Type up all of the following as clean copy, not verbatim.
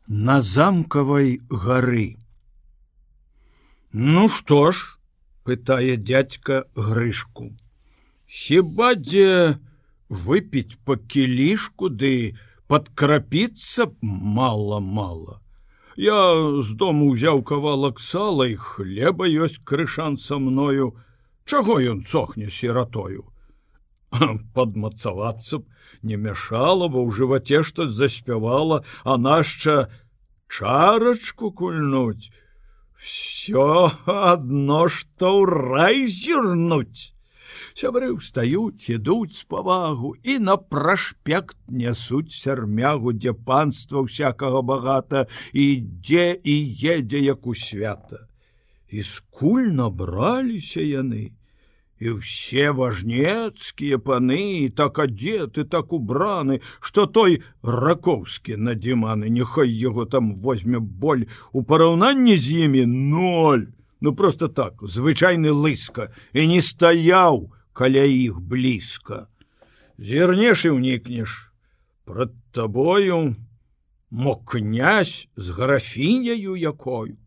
На замкавай гары. Ну што ж, пытае дядька Грышку. Хіба дзе выпіць па кілішку, ды падкрапіцца мала-мала. Я з дому ўзяў кавалак сала і хлеба ёсць крышан са мною. Чаго ён сохне сіратою? Падмацавацца б не мяшала, бо ў жываце што заспявала, а нашча чарачку кульнуць. Всё адно, што ў рай зірнуць. Сябры ўстаюць, ідуць з павагу і на прашпект нясуць сярмягу, дзе панства ўсякага багата, і дзе і едзе, як у свята. І скуль набраліся яны, і ўсе важнецкія паны, і так адзеты, так убраны, што той Ракоўскі надзіманы, няхай яго там возьме боль, у параўнанні з імі ноль. Ну просто так, звычайны лыска, і не стаяў каля іх блізка. Зірнеш і ўнікнеш. Прад табою мо князь з графіняю якою.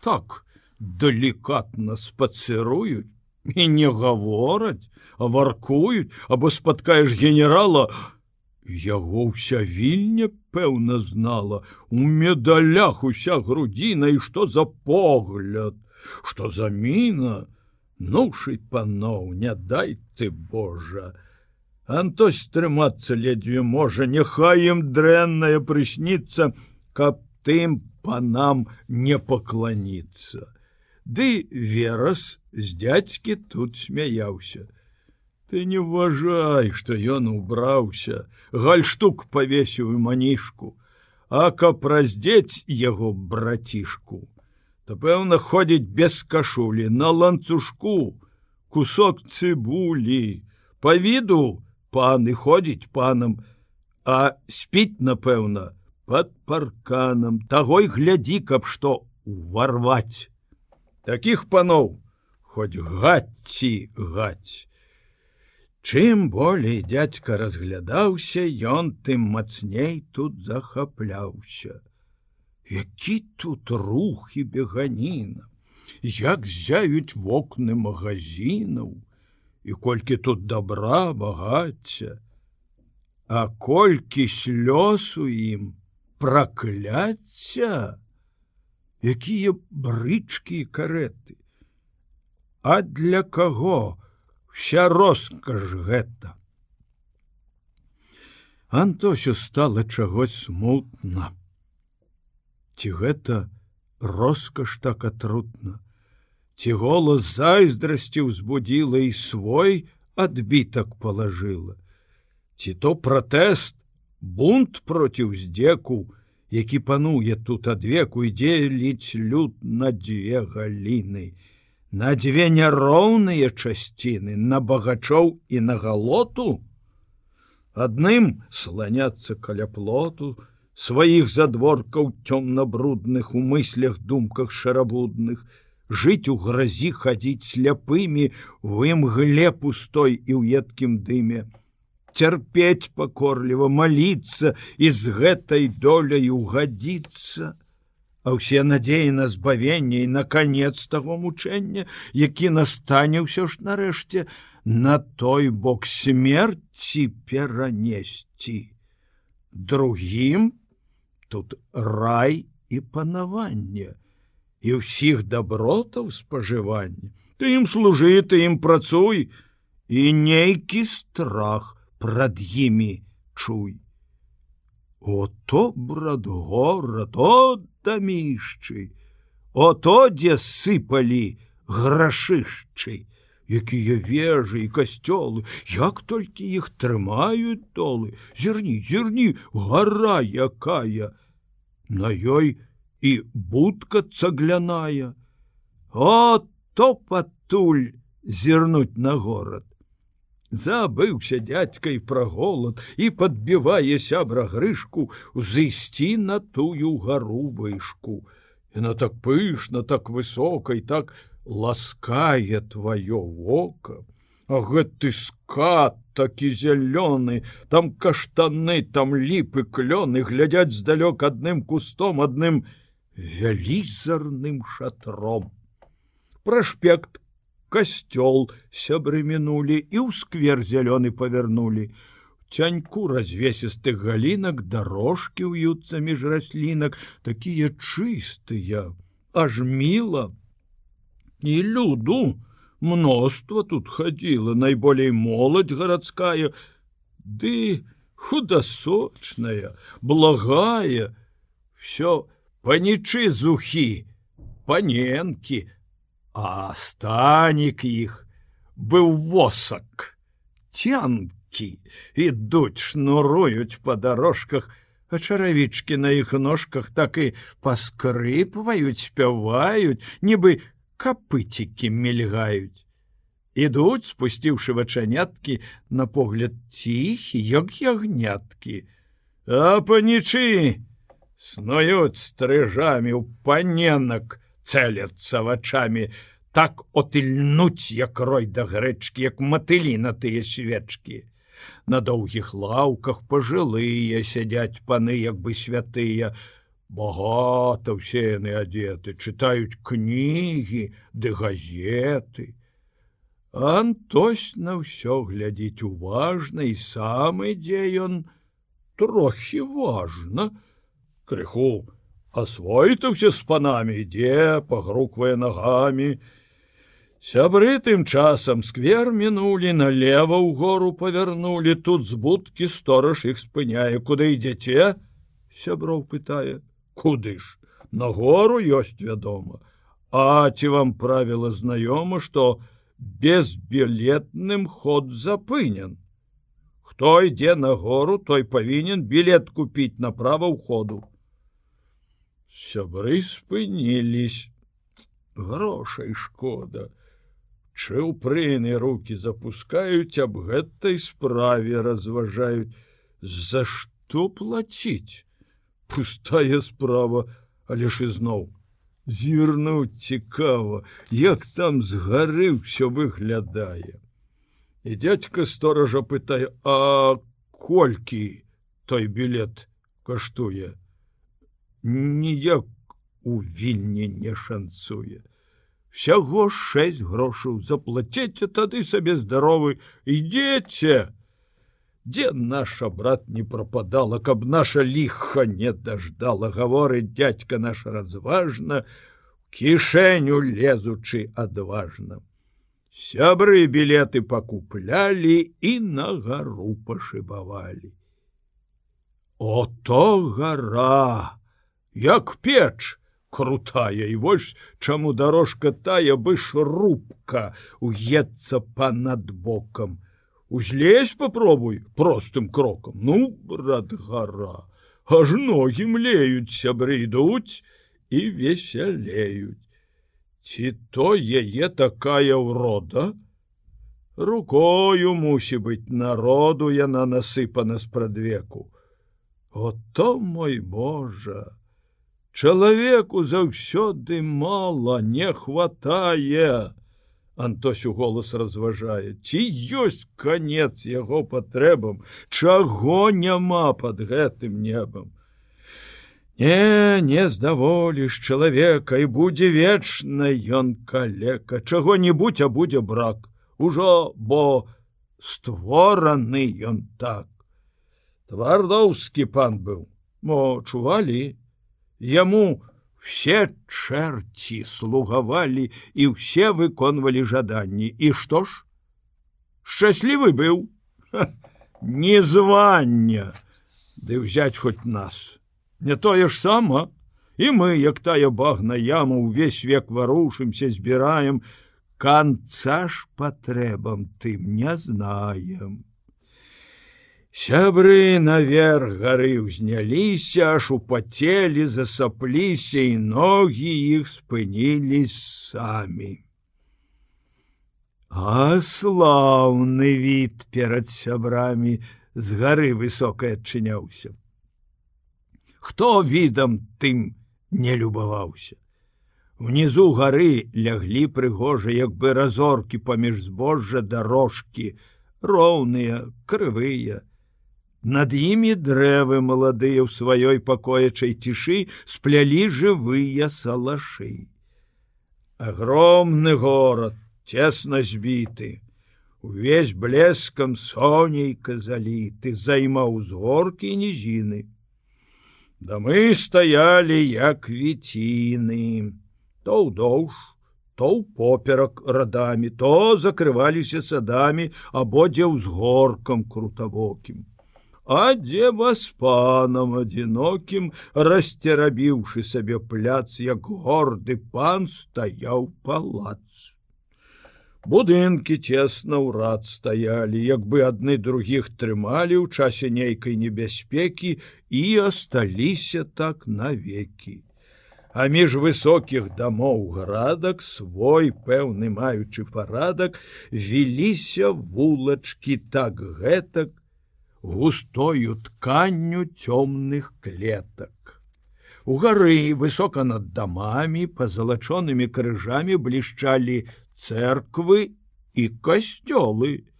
Так далікатна спацыруюць, і не гавораць, а варкуюць, або спаткаеш генерала, яго ўся вільня, пэўна, знала, у медалях уся грудзіна, і што за погляд, што за міна, нушы паноў, не дай ты, Божа. Антось трымацца ледзьве можа, няхай ім дрэннае прысніцца, каб тым панам не пакланіцца. Ды Верас з дядзькі тут смяяўся. Ты не ўважай, што ён убраўся, гальштук павесіў і манішку, а каб раздзець яго братішку, то, пэўна, ходзіць без кашулі, на ланцужку, кусок цыбулі. Па віду пан і ходзіць панам, а спіць, напэўна, пад парканам. Таго й глядзі, каб што уварваць. Такіх паноў хоць гацці гаць. Чым болей дядька разглядаўся, ён тым мацней тут захапляўся. Які тут рух і беганіна, як зяюць вокны магазінаў, і колькі тут добра, багацця, а колькі слёз у ім, пракляцця, якія брычкі і кареты. А для каго вся роскаш гэта? Антосю стала чагось смутна. Ці гэта роскаш так атрутна? Ці голас зайздрасці ўзбудзіла і свой адбітак палажыла? Ці то пратэст, бунт проціў здзеку, які пануе тут адвеку, і дзеліць люд на дзве галіны, на дзве няроўныя часціны, на багачоў і на галоту? Адным сланяцца каля плоту, сваіх задворкаў цёмна-брудных, у мыслях, думках шарабудных, жыць у гразі, хадзіць сляпымі, у імгле пустой і ў едкім дыме, цярпець пакорліва, маліцца і з гэтай доляй угадзіцца, а ўсе надзеі на збавенне і на канец таго мучэння, які настане ўсё ж нарэшце на той бок смерці перанесці. Другім тут рай і панаванне, і ўсіх дабротаў спажывання. Ты ім служы, ты ім працуй, і нейкі страх прад імі чуй. Ото, брат, горад, о, дамішчы, ото, дзе сыпалі грашышчы, якія вежы і касцёлы, як толькі іх трымаюць долы. Зірні, зірні, гара якая, на ёй і будка цагляная. Ото патуль зірнуць на горад. Забыўся дядька і пра голад, і падбівае сябра Грышку узысці на тую гару вышку. Яна так пышна, так высока і так ласкае тваё вока, А гэты скат такі зялёны, там каштаны, там ліпы, клёны глядзяць здалёк адным кустом, адным вялізарным шатром. Праспект, касцёл сябры мінулі і ў сквер зялёны павярнулі. Цяньку развесістых галінак дарожкі ўюцца між раслінак, такія чыстыя, аж міла. І люду мноства тут хадзіла, найболей моладзь гарадская, ды худасочная, благая, всё панічы зухі, паненкі, а станік іх быў восак, цянкі. Ідуць, шнуруюць па дарожках, а чаравічкі на іх ножках так і паскрыпваюць, спяваюць, нібы капыцікі мільгаюць. Ідуць, спусціўшы вачаняткі, на погляд ціхі, як ягняткі. А панічы снуюць стрыжамі ў паненак, цэляцца вачамі, так отыльнуць, як рой да грэчкі, як матылі на тыя свечкі. На доўгіх лаўках пажылыя сядзяць паны, як бы святыя. Багата ўсе яны адзеты, чытаюць кнігі ды газеты. Антось на ўсё глядзіць уважна, і сам ідзе ён трохі важна. Крыху асвойтаўся з панамі, ідзе, пагруквае нагамі. Сябры тым часам сквер мінулі, налева ў гору павярнулі, тут з будкі стораж іх спыняе. Куды ідзеце? Сяброў пытае. Куды ж? На гору ёсць, вядома. А ці вам правіла знаёма, што безбілетным ход запынен? Хто ідзе на гору, той павінен білет купіць направа ўходу. Сябры спынілись. Грошай шкода. Чыўпрыны рукі запускаюць, аб гэтай справе разважаюць. За што плаціць? Пустая справа, але ж ізноў зірнуць цікава, як там з гары ўсё выглядае. І дзядзька стоража пытае: а колькі той білет каштуе? Ніяк у Вільні не шанцуе. Всяго 6 грошаў, заплаціце, тады сабе здаровы, ідзеце. Дзе наша, брат, не прападала, каб наша ліха не даждала, гаворыць дзядзька наш разважна, кішэню лезучы адважна. Сябры білеты пакуплялі і на гару пашыбавалі. Ото гара, як печ, крутая, і вось чаму дарожка тая бы шрубка уецца панад бокам. Узлезь попробуй простым крокам. Ну, брат, гора, аж ногі млеюць, сябры ідуць і весялеюць. Ці то яе такая ўрода? Рукою мусі быць народу, яна насыпана спрадвеку. Ото, мой Божа! Чалавеку заўсёды мала, не хватае. Антось у голас разважае. Ці ёсць канец яго патрэбам, чаго няма пад гэтым небам. Не здаволіш чалавека, і будзе вечна ён калека. Чаго-небудзь, а будзе брак. Ужо, бо створаны ён так. Твардоўскі пан быў. Мо чувалі? Яму все чэрці слугавалі і ўсе выконвалі жаданні. І што ж? Шчаслівы быў? Не звання. Ды ўзяць хоць нас. Не тое ж сама. І мы, як тая багна яма, увесь век варушымся, збіраем. Канца ж патрэбам тым не знаем. Сябры наверх гары ўзняліся, аж упацелі, засапліся, і ногі іх спынілись самі. А слаўны від перад сябрамі з гары высокай адчыняўся. Хто відам тым не любаваўся? Внізу гары ляглі прыгожа, як бы разоркі паміж збожжа дарожкі, роўныя, крывыя. Над імі дрэвы маладыя ў сваёй пакоячай цішы сплялі жывыя салашы. Агромны горад, цесна збіты, увесь блескам сонейка заліты, займаў узгоркі і нізіны. Дамы стаялі, як віціны, то ўдоўж, то ўпоперак радамі, то закрываліся садамі або дзе ўзгоркам крутавокім. А дзе васпанам адзінокім, расцерабіўшы сабе пляц, як горды пан, стаяў палац. Будынкі цесна ўрад стаялі, як бы адны другіх трымалі ў часе нейкай небяспекі і асталіся так навекі. А між высокіх дамоў градак, свой пэўны маючы парадак, віліся вулачкі так гэтак, густою тканню цёмных клетак. Угары, высока над дамамі, пазалачонымі крыжамі блішчалі церквы і касцёлы,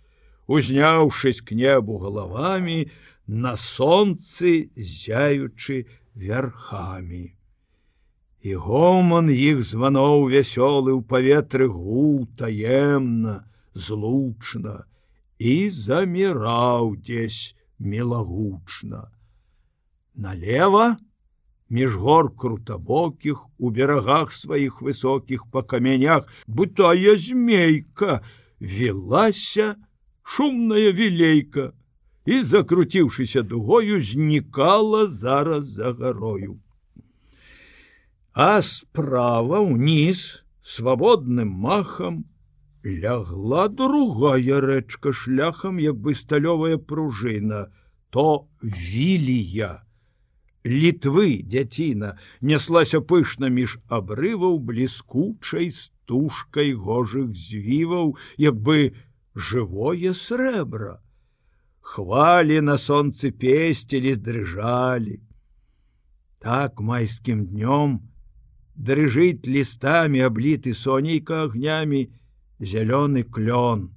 узняўшись к небу галавамі, на сонцы зяючы вярхамі. І гоман іх званоў вясёлы ў паветры гуў таемна, злучна, і заміраў дзесь мілагучна. Налева, між гор крутабокіх, у берагах сваіх высокіх па камянях, бытая змейка, вілася шумная вілейка і, закруціўшыся дугою, знікала зараз за гарою. А справа ўніз, свабодным махам, лягла другая рэчка шляхам, як бы сталёвая пружына, то Вілія. Літвы дзяціна няслася пышна між абрываў бліскучай стужкай гожых звіваў, як бы жывое срэбра. Хвалі на сонцы песцілі, дрыжалі. Так майскім днём дрыжыць лістамі, абліты сонейка агнямі, зялёны клён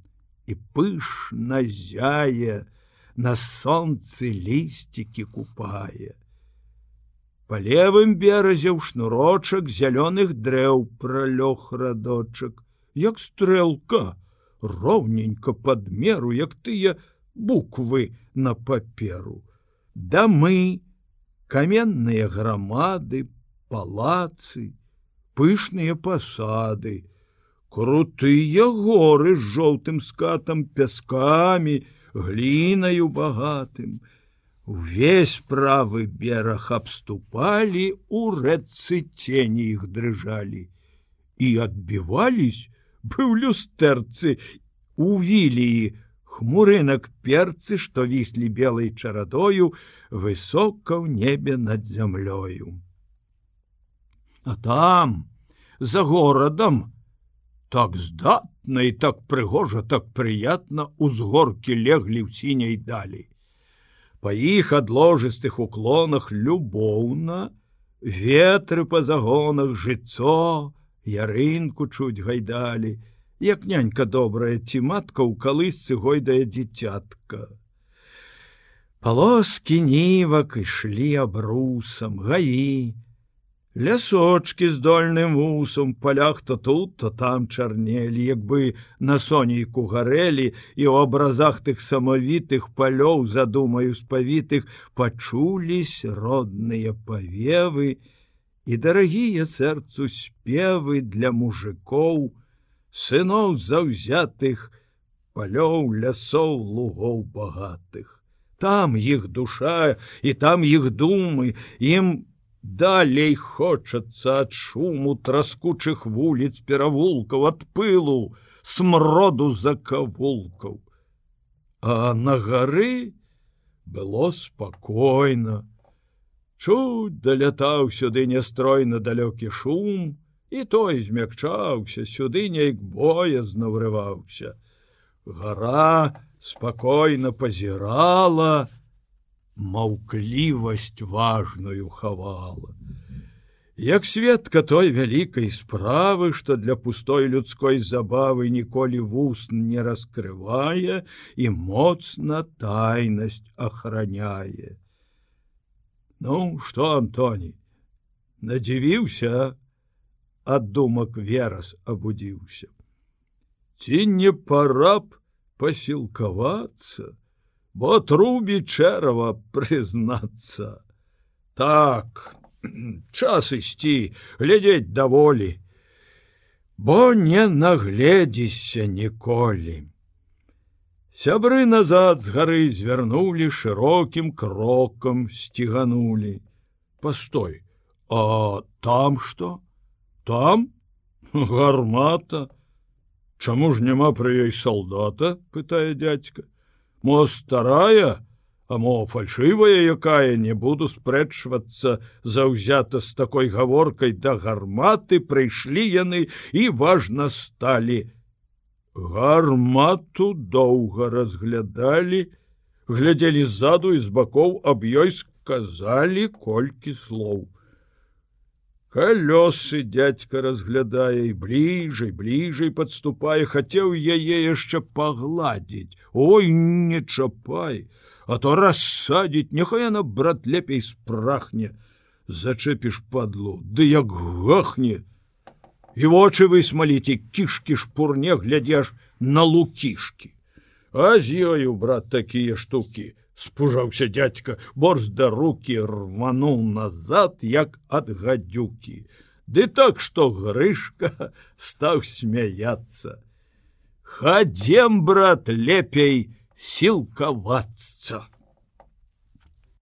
і пышна зяе, на сонцы лісцікі купае. Па левым беразе ў шнурочак зялёных дрэў пралёг радочак, як стрэлка, роўненька пад меру, як тыя буквы на паперу. Дамы, каменныя грамады, палацы, пышныя пасады, крутыя горы з жоўтым скатам, пяскамі, глінаю багатым. Увесь правы бераг абступалі, у рэчцы цені іх дрыжалі. І адбівались, быў люстэрцы, у Віліі хмурынак перцы, што віслі белай чарадою, высока ў небе над зямлёю. А там, за горадам, так здатна і так прыгожа, так прыятна узгоркі леглі ў сіняй далі. Па іх адложыстых уклонах любоўна, ветры па загонах, жыццо, ярынку чуць гайдалі, як нянька добрая ці матка ў калысцы гойдае дзіцятка. Палоскі нівак ішлі абрусам, гаі, лясочки з дольным вусом, палях то тут, то там чарнелі, як бы на сонейку гарэлі, і ў абразах тых самавітых палёў, задумаю спавітых, пачулись родныя павевы і дарагія сэрцу спевы для мужикоў, сыноў заўзятых, палёў, лясоў, лугоў багатых. Там іх душа і там іх думы, ім далей хочацца ад шуму траскучых вуліц, перавулкаў, ад пылу, смроду закавулкаў. А на гары было спакойна. Чуць далятаў сюды нястройна далёкі шум, і той змякчаўся, сюды нейк боязна ўрываўся. Гара спакойна пазірала, маўклівасць важную хавала. Як сведка той вялікай справы, што для пустой людской забавы ніколі вуст не раскрывае і моцна тайнасць ахраняе. Ну, што, Антоній, надзівіўся, ад думак Верас абудзіўся. Ці не пара б пасілкавацца, бо трубі чэрава прызнацца. Так, час ісці, глядзець даволі, бо не нагледзішся ніколі. Сябры назад з гары звярнулі, шырокім крокам сціганулі. Постой, а там што? Там? Гармата. Чаму ж няма пры ёй салдата, пытае дзядзька. Мо старая, а мо фальшывая якая, не буду спрэчвацца заўзята з такой гаворкай да гарматы прыйшлі яны і важна сталі. Гармату доўга разглядалі, глядзелі ззаду і з бакоў, аб ёй сказалі колькі слоў. Калёсы дзядзька разглядае і бліжэй падступае, хацеў яе яшчэ пагладзіць. Ой, не чапай, а то рассадзіць, няхай яна, брат, лепей спрахне. Зачэпіш падлу, ды як гахне. І вочы высмаліць, і кішкі шпурне, глядзяш на лукішкі. А з ёю, брат, такія штукі. Спужаўся дзядзька, борзда рукі рвануў назад, як ад гадзюкі. Ды так, што Грышка стаў смяяцца. Хадзем, брат, лепей сілкавацца.